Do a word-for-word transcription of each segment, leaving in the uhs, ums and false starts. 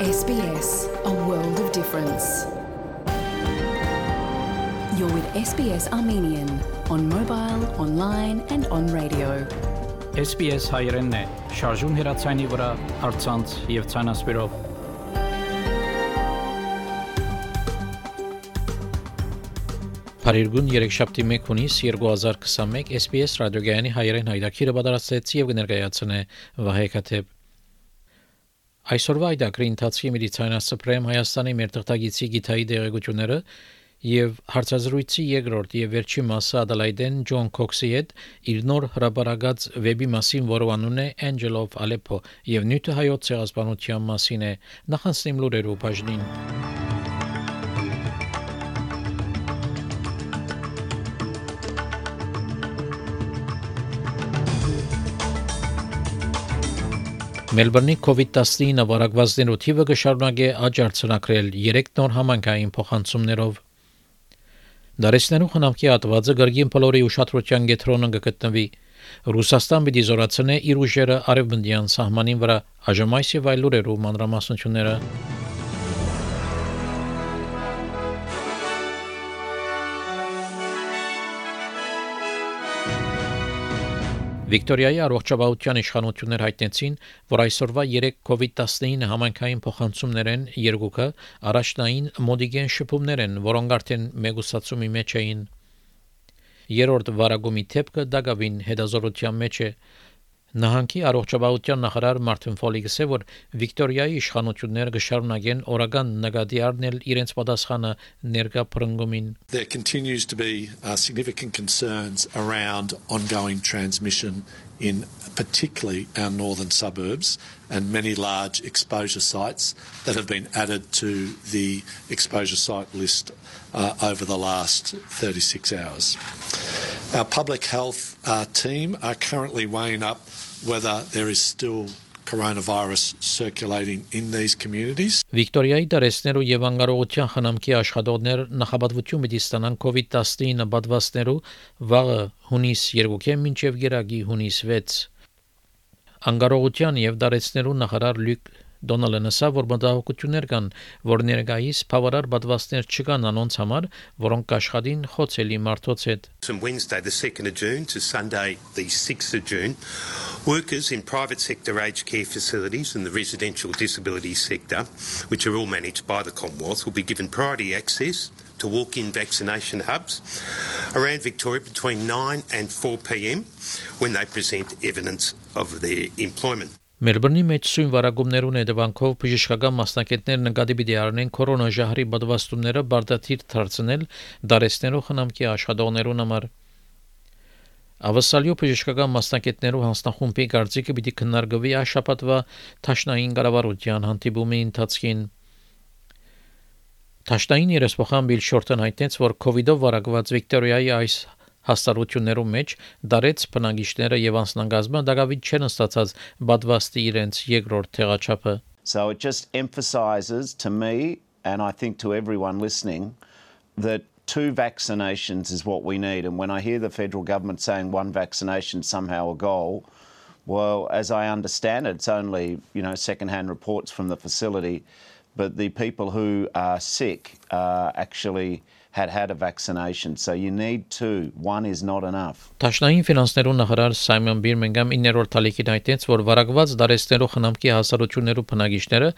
S B S, a world of difference. You're with S B S Armenian on mobile, online and on radio. S B S հայերենն է, շարժուն հեռացանի վրա, առցանց եւ ցանասպիրով։ Փարիգուն երեքշաբթի մեկ հունիս երկու հազար քսանմեկ S B S ռադիոգայանի հայերեն հայրաքիրը պատրաստեց եւ կներկայացնե Վահե Քաթեփ։ Այսօրվա այդակրի ընթացքի մեդիցինասպրեմ Հայաստանի մեր թղթագիտի գիտայի դերակցությունները եւ հարցազրույցի երկրորդ եւ վերջի մասը Ադելայդեն Ջոն Քոքսի հետ իր նոր հրապարակած վեբի մասին, որը անուն է Angel of Aleppo եւ նյութը հայոց ցեղասպանության մասին է։ Նախանցնեմ լուրերով բաժնին։ Մելբուրնի COVID nineteen վարակվածներու թիվը կշարունակի աճ արձանագրել երեք նոր համայնքային փոխանցումներով։ Դարեցներու խնամքի հատվածը գրգին փլորի ուշադրության կենտրոնում կգտնվի։ Ռուսաստան պիտի զորացնե իր ուժերը արևմտյան սահմանին վրա, այժմ այս եւ այլ լուրերով մանրամասնությունները։ Վիկտորիայի առողջապահության իշխանություններ հայտնեցին, որ այսօրվա երեք COVID nineteen համայնքային փոխանցումներ են, երկուքը առաջնային մոդիգեն շփումներ են, որոնք արդեն մեգուսացումի մեջ էին։ Երրորդ վարագումի թեփքը դակավին հետազորության մեջ է։ Նահանգի առողջապահության նախարար Մարտին Ֆոլիգսը ասել, որ Վիկտորիայի իշխանությունները կշարունակեն օրական նկատի առնել իրենց պատասխանը ներկա փրկումին։ There continues to be uh, significant concerns around ongoing transmission in particularly our northern suburbs and many large exposure sites that have been added to the exposure site list uh, over the last thirty-six hours. Our public health uh, team are currently weighing up whether there is still coronavirus circulating in these communities. Վիկտորիայի դարեցներու եւ անկարողության խնամքի աշխատողներ նախապատվություն պիտի ստանան COVID nineteen պատվաստներու վաղը հունիս երկուքեն մինչեւ գերագի հունիս վեց։ Անկարողության եւ դարեցներու նախարար Լյուկ Դոնալդն ասավ, որ մտահոգություններ կան, որ ներկայիս բավարար պատվաստներ չկան անոնց համար, որոնք կաշխատին խոցելի մարդոց հետ։ From Wednesday the second of June to Sunday the sixth of June, workers in private sector aged care facilities and the residential disability sector, which are all managed by the Commonwealth, will be given priority access to walk-in vaccination hubs around Victoria between nine and four p.m. when they present evidence of their employment. Մելբուրնի մեջ սույն վարագումներուն հետևանքով բժշկական մասնակիցներ նկատի պիտի առնեն կորոնաժահրի պատվաստումները բարդաթիր դարձնել դարեցներու խնամքի աշխատողներուն համար։ Ավասալյո բժշկական մասնակիցներու հանձնախումբի կարծիքը պիտի քննարկվի այս շաբաթվա Թաշնային կառավարության հանդիպումի ընթացքին։ Թաշնային երեսփոխան Բիլ Շորտն հայտնեց, որ COVID-ով վարակված Վիկտորիայի այս հաստատություններու մեջ դարեց բնակիչները եւ անձնագազմը դակավին չեն ստացած պատվաստի իրենց երկրորդ թեղաչափը։ So it just emphasizes to me and I think to everyone listening that two vaccinations is what we need, and when I hear the federal government saying one vaccination somehow a goal, well, as I understand it, it's only, you know, second-hand reports from the facility, but the people who are sick uh, actually had had a vaccination, so you need two. One is not enough. Թաշնային ֆինանսներու նախարար Սայմոն Բիրմինգհամ իններորդ տալիքին հայտնեց, որ վարակված դարեցներու խնամքի հասարություններու բնակիչները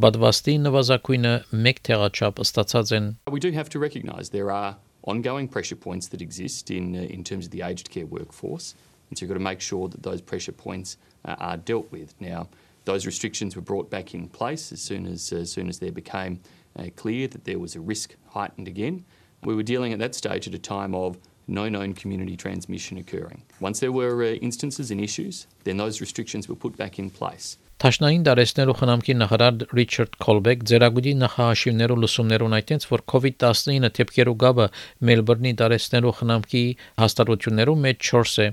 պատվաստի նվազագույնը մեկ թեղաչափ ստացած են։ We do have to recognise there are ongoing pressure points that exist in uh, in terms of the aged care workforce, and so you've got to make sure that those pressure points uh, are dealt with. Now, those restrictions were brought back in place as soon as uh, as soon as there became uh, clear that there was a risk heightened again. We were dealing at that stage at a time of no known community transmission occurring. Once there were uh, instances and issues, then those restrictions were put back in place. Թաշնային դարեցներու խնամքի նախարար Ռիչարդ Քոլբեկ ձերագուտի նախահաշիվներու լուսումներուն այդտենց, որ COVID nineteen թեփքերու գաբը Մելբուրնի դարեցներու խնամքի հաստատություններու մեջ չորս է։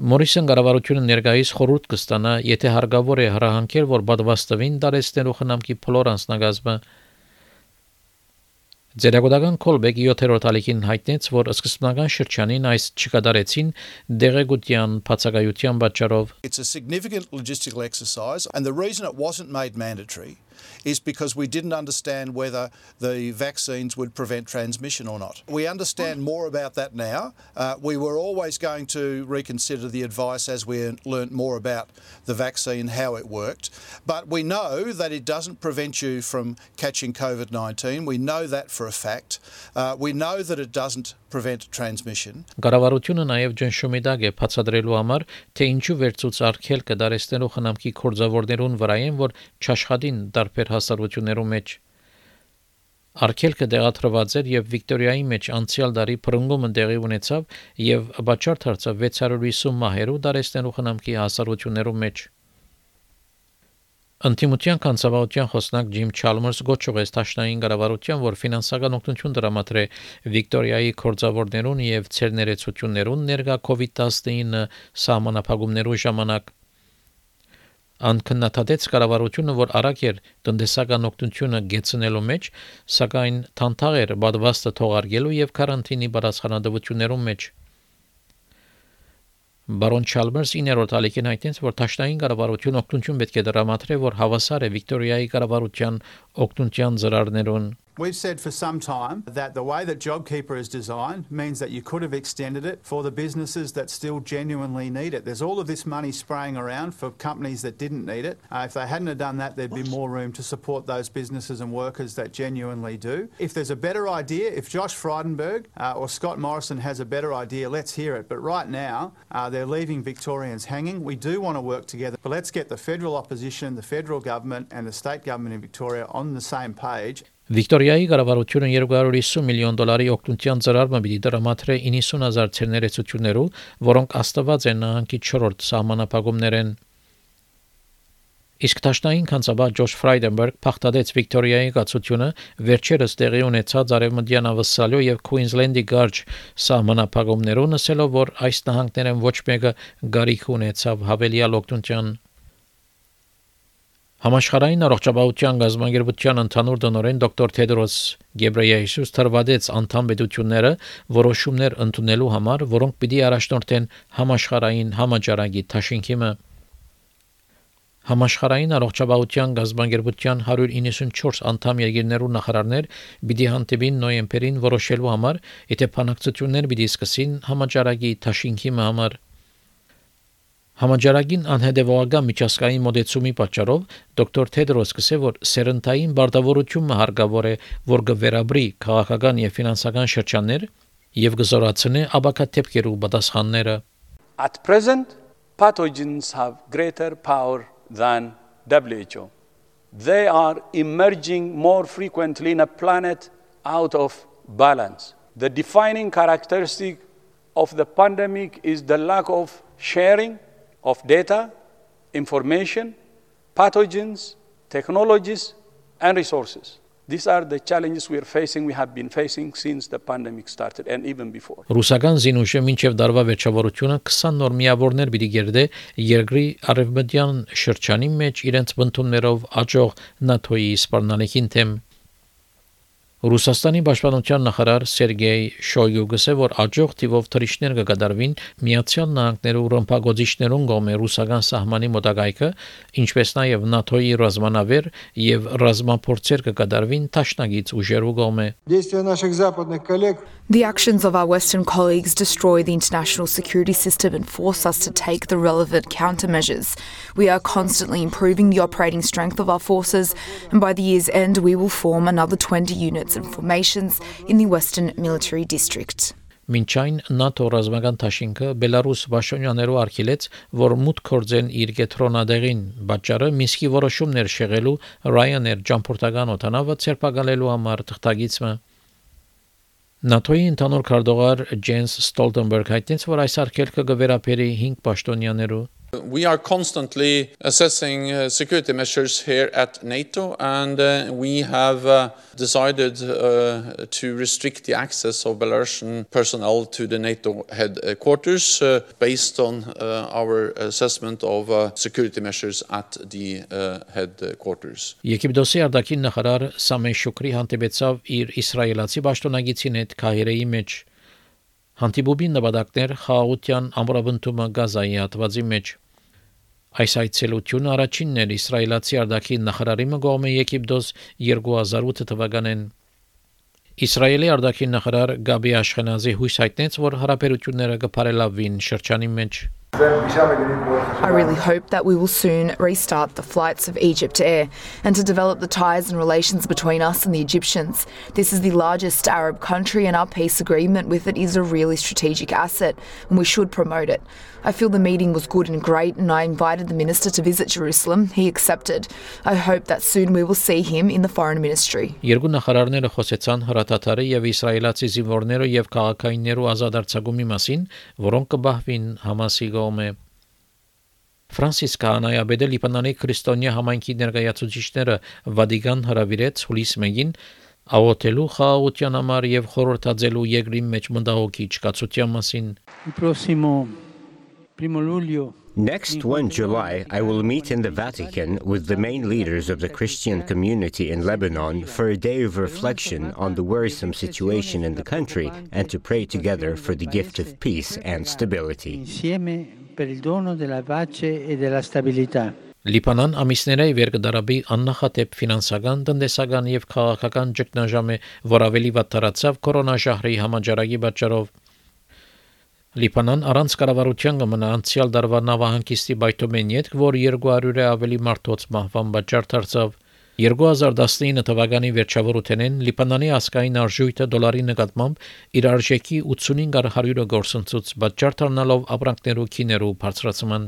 Մորիսոն կառավարությունը ներկայիս խորհուրդ կստանա, եթե հարկավոր է հրահանգել, որ պատվաստվին դարեցներու խնամքի փլոր անձնագազմը։ Ձերագուտական Քոլբեկի յոթերորդ ալիքին հայտնեց, որ սկզբնական շրջանին այս չկատարեցին դեղեցության բացակայության պատճառով. It's a significant logistical exercise, and the reason it wasn't made mandatory is because we didn't understand whether the vaccines would prevent transmission or not. We understand more about that now. Uh, we were always going to reconsider the advice as we learnt more about the vaccine, how it worked. But we know that it doesn't prevent you from catching COVID nineteen. We know that for a fact. Uh, we know that it doesn't prevent transmission. Կառավարությունը նաև ճնշում է դագ է բացատրելու համար, թե ինչու վերցուց արգելքը դարեցնելու խնամքի կորձավորներուն վրա են, որ չաշխատին տարբեր հասարակություններում մեջ։ Արգելքը դեղատրված էր եւ Վիկտորիայի մեջ անցյալ տարի փրկումը տեղի ունեցավ եւ բաճար դարձավ վեց հարյուր հիսուն մահերու դարեցնելու խնամքի հասարակություններում մեջ։ Անտիմության կանցավարության խոսնակ Ջիմ Չալմերս գոչուեց Տաշնային կառավարության, որ ֆինանսական օգնություն դրամատրե Վիկտորիայի կորձավորներուն եւ ցերներեցություններուն ներկա COVID nineteen սահմանափակումներու ժամանակ։ Անքննադատեց կառավարությունը, որ արագ էր տնտեսական օգնությունը գեցնելու մեջ, սակայն թանթաղ էր բադվաստը թողարկելու եւ կարանտինի բարձրանալություններում մեջ։ Բարոն Չալմերս իներորդ ալիքին հայտնեց, որ Տաշնային կառավարություն օգնություն պետք է դրամատրե, որ հավասար է Վիկտորիայի կառավարության օգնության ծրարներուն։ We've said for some time that the way that JobKeeper is designed means that you could have extended it for the businesses that still genuinely need it. There's all of this money spraying around for companies that didn't need it. Uh, if they hadn't have done that, there'd be more room to support those businesses and workers that genuinely do. If there's a better idea, if Josh Frydenberg uh, or Scott Morrison has a better idea, let's hear it. But right now, uh, they're leaving Victorians hanging. We do want to work together, but let's get the federal opposition, the federal government and the state government in Victoria on the same page. Վիկտորիայի կառավարությունը երկու հարյուր հիսուն միլիոն դոլարի օգնության ծրարը պիտի դրամատրե իննսուն հազար ցերներեցություններու, որոնք աստված են նահանգի չորրորդ սահմանափակումներեն։ Իսկ Տաշնային կանցաբար Ջոշ Ֆրայդենբերգ փախտadեց Վիկտորիայի կացությունը վերջերս տեղի ունեցած արևմտյան ավսալյո եւ Քուինզլենդի գարջ սահմանափակումներուն, ասելով, որ այս նահանգներեն ոչ մեկը գարիք ունեցավ հավելյալ օգնության։ Համաշխարհային առողջապահության գազագերբության ընդհանուր տնօրեն դոկտոր Թեդրոս Գեբրեյեսուս թրվադեց անդամ պետությունները որոշումներ ընդունելու համար, որոնք պիտի առաջնորդեն համաշխարհային համաճարակի դաշինքիմը։ Համաշխարհային առողջապահության գազագերբության հարյուր իննսունչորս անդամ երկրներու նախարարներ պիտի հանդիպին նոյեմբերին որոշելու համար, եթե բանակցություններ պիտի սկսին համաճարակի դաշինքիմը համար։ Համաճարակին անհետևողական միջազգային մոդեցումի պատճառով դոկտոր Թեդրոս կսե, որ սերնդային բարդավորությունը հարկավոր է, որ կվերաբրի քաղաքական եւ ֆինանսական շրջաններ եւ կզորացնի աբակատեպքերու պատասխանները։ At present, pathogens have greater power than W H O. They are emerging more frequently in a planet out of balance. The defining characteristic of the pandemic is the lack of sharing of data, information, pathogens, technologies, and resources. These are the challenges we are facing, we have been facing since the pandemic started and even before. Ռուսական զինուշը մինչև դարվա վերջավորությունը քսան նոր միավորներ պիտի գերդե երկրի արևմտյան շրջանի մեջ իրենց բնդումներով աճող նատոյի սպառնալիքին թեմ։ Ռուսաստանի պաշտպանության նախարար Սերգեյ Շոյգու գսե, որ աջող թիվով թռիչքներ կկատարվին Միացյալ Նահանգներու ռմբակոծիչներուն կողմէ ռուսական սահմանի մոտակայքը, ինչպես նաև ՆԱՏՕ-ի ռազմանավեր եւ ռազմափորձեր կկատարվին Տաշնագից ուժերու կողմէ։ The actions of our Western colleagues destroy the international security system and force us to take the relevant countermeasures. We are constantly improving the operating strength of our forces, and by the year's end we will form another twenty units and formations in the Western Military District. Մինչ այն ՆԱՏՕ ռազմական դաշինքը Բելարուս Վաշոնյաներու արգելեց, որ մուտք կորձեն իր կետրոնադեղին, պատճառը Մինսկի որոշումներ շեղելու Ryanair ճամփորդական օդանավը ցերպակալելու համար թղթագիծը։ ՆԱՏՕ-ի ընդհանուր քարտուղար Ջենս Ստոլտենբերգ հայտնեց, որ այս արգելքը կվերապերի հինգ պաշտոնյաներու։ We are constantly assessing uh, security measures here at NATO, and uh, we have uh, decided uh, to restrict the access of Belarusian personnel to the NATO headquarters uh, based on uh, our assessment of uh, security measures at the uh, headquarters. Եգիպտոսի արտաքին նախարար Սամե Շուկրի հանդիպեցավ իր իսրայելացի պաշտոնագետին հետ Քահիրեի մեջ։ Հանդիպումի նպատակներ խաղաղության ամրապնդումը Գազայի հատվածի մեջ։ Այս այցելությունը առաջինն էր իսրայելացի արտաքին նախարարի կողմէ Եգիպտոս երկու հազար ութ թվականին։ Իսրայելի արտաքին նախարար Գաբի Աշխենազի հույս հայտնեց, որ հարաբերությունները կփարելավվին շրջանի մեջ։ I really hope that we will soon restart the flights of Egypt Air and to develop the ties and relations between us and the Egyptians. This is the largest Arab country and our peace agreement with it is a really strategic asset and we should promote it. I feel the meeting was good and great and I invited the minister to visit Jerusalem. He accepted. I hope that soon we will see him in the foreign ministry. Երկու նախարարները խոսեցան հրատատարի եւ իսրայելացի զինվորներու եւ քաղաքայիններու ազատարձակումի մասին, որոնք կբահվին Համասի կողմէ։ Ֆրանսիս Քահանայապետը Լիբանանի քրիստոնյա համայնքի ներկայացուցիչները Վատիկան հրավիրեց հուլիս մեկին աղոթելու խաղաղության համար եւ խորհրդածելու երկրի մեջ մտահոգիչ կացության մասին։ Next first of July, I will meet in the Vatican with the main leaders of the Christian community in Lebanon for a day of reflection on the worrisome situation in the country and to pray together for the gift of peace and stability. Լիբանան ամիսներէ վեր կդարաբի աննախադեպ ֆինանսական, տնտեսական եւ քաղաքական ճգնաժամ է, որ ավելի վատ տարածավ կորոնաժահրի համաճարակի պատճառով։ Լիբանան առանց կառավարության կմնա անցյալ դարվա նավահանգիստի բայթոմեն ետք, որ երկու հարյուրը ավելի մարդոց մահվան պատճառ դարձավ։ երկու հազար տասնինը թվականի վերջավորութենեն Լիբանանի ասկային արժույթը դոլարի նկատմամբ իր արժեքի ութսունհինգ հարյուրը գործընծուց պատճառ դառնալով ապրանքներու քիներու բարձրացման։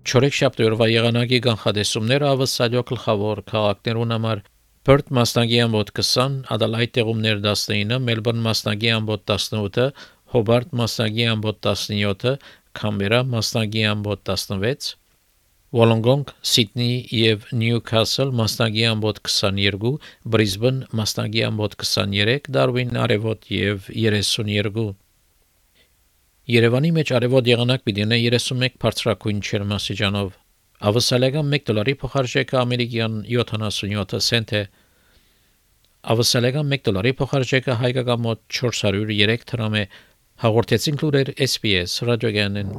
Չորեքշաբթի օրվա եղանակի կանխատեսումները ավսալյո գլխավոր քաղաքներուն համար Perth մասնագի ամբոտ twenty, Adelaide տեղումներ nineteen, Melbourne մասնագի ամբոտ eighteen, Hobart մասնագի ամբոտ seventeen, Canberra մասնագի ամբոտ sixteen, Wollongong, Sydney եւ Newcastle մասնագի ամբոտ twenty-two, Brisbane մասնագի ամբոտ twenty-three, Darwin արևոտ եւ thirty-two։ Երևանի մեջ արևոտ եղանակ պիտի ունենա thirty-one բարձրակույն ջերմաստիճանով։ Ավսալական one դոլարի փոխարժեքը ամերիկյան seventy-seven سنت է։ Ավսալական one դոլարի փոխարժեքը հայկական մոտ four hundred three դրամ է։ Հաղորդեցին լուրեր S B S ռադիոգյանեն։